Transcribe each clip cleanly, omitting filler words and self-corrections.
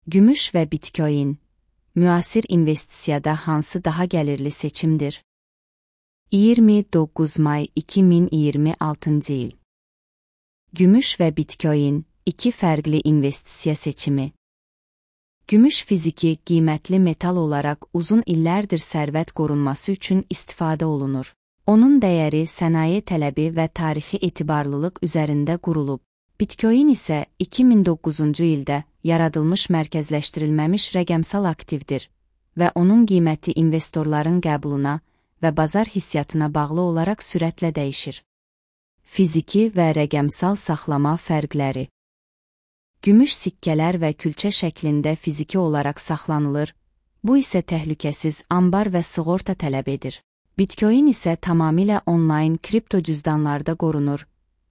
Gümüş və Bitcoin. Müasir investisiyada hansı daha gəlirli seçimdir? 29 may 2026 il. Gümüş və Bitcoin, iki fərqli investisiya seçimi. Gümüş fiziki, qiymətli metal olaraq uzun illərdir sərvət qorunması üçün istifadə olunur. Onun dəyəri sənaye tələbi və tarixi etibarlılıq üzərində qurulub. Bitcoin isə 2009-cu ildə yaradılmış mərkəzləşdirilməmiş rəqəmsal aktivdir və onun qiyməti investorların qəbuluna və bazar hissiyatına bağlı olaraq sürətlə dəyişir. Fiziki və rəqəmsal saxlama fərqləri. Gümüş sikkələr və külçə şəklində fiziki olaraq saxlanılır, bu isə təhlükəsiz ambar və sığorta tələb edir. Bitcoin isə tamamilə onlayn kripto cüzdanlarda qorunur,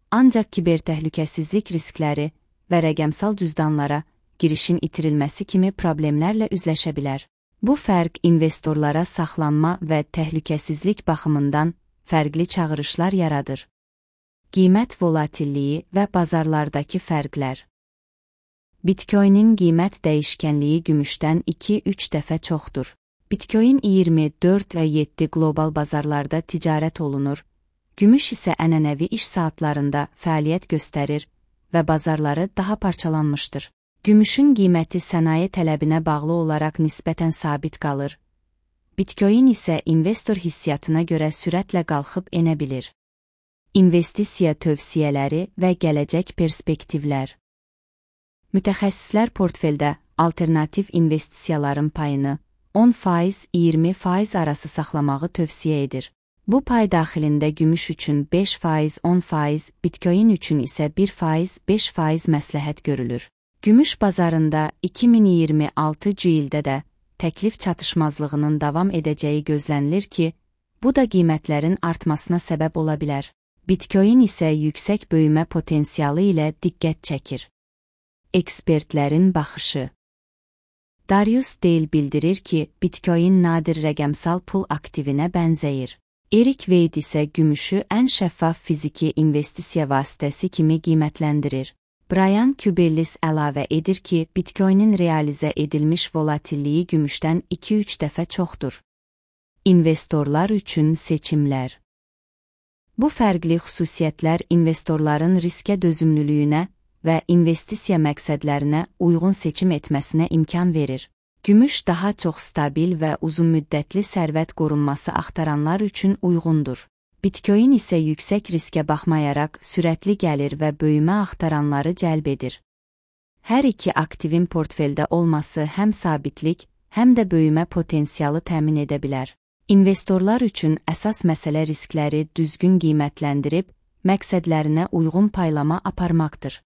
ancaq kibertəhlükəsizlik riskləri və rəqəmsal cüzdanlara girişin itirilməsi kimi problemlərlə üzləşə bilər. Bu fərq investorlara saxlanma və təhlükəsizlik baxımından fərqli çağırışlar yaradır. Qiymət volatilliyi və bazarlardakı fərqlər. Bitcoinin qiymət dəyişkənliyi gümüşdən 2-3 dəfə çoxdur. Bitcoin 24 və 7 qlobal bazarlarda ticarət olunur, gümüş isə ənənəvi iş saatlarında fəaliyyət göstərir və bazarları daha parçalanmışdır. Gümüşün qiyməti sənaye tələbinə bağlı olaraq nisbətən sabit qalır. Bitcoin isə investor hissiyatına görə sürətlə qalxıb enə bilir. İnvestisiya tövsiyələri və gələcək perspektivlər. Mütəxəssislər portfeldə alternativ investisiyaların payını 10%-20% arası saxlamağı tövsiyə edir. Bu pay daxilində gümüş üçün 5%-10%, Bitcoin üçün isə 1%-5% məsləhət görülür. Gümüş bazarında 2026-cı ildə də təklif çatışmazlığının davam edəcəyi gözlənilir ki, bu da qiymətlərin artmasına səbəb ola bilər. Bitcoin isə yüksək böyümə potensialı ilə diqqət çəkir. Ekspertlərin baxışı. Darius Dale bildirir ki, Bitcoin nadir rəqəmsal pul aktivinə bənzəyir. Erik Wade isə gümüşü ən şəffaf fiziki investisiya vasitəsi kimi qiymətləndirir. Brian Kubellis əlavə edir ki, Bitcoinin realizə edilmiş volatilliyi gümüşdən 2-3 dəfə çoxdur. İnvestorlar üçün seçimlər. Bu fərqli xüsusiyyətlər investorların riskə dözümlülüyünə və investisiya məqsədlərinə uyğun seçim etməsinə imkan verir. Gümüş daha çox stabil və uzunmüddətli sərvət qorunması axtaranlar üçün uyğundur. Bitcoin isə yüksək riskə baxmayaraq sürətli gəlir və böyümə axtaranları cəlb edir. Hər iki aktivin portfeldə olması həm sabitlik, həm də böyümə potensialı təmin edə bilər. İnvestorlar üçün əsas məsələ riskləri düzgün qiymətləndirib, məqsədlərinə uyğun paylama aparmaqdır.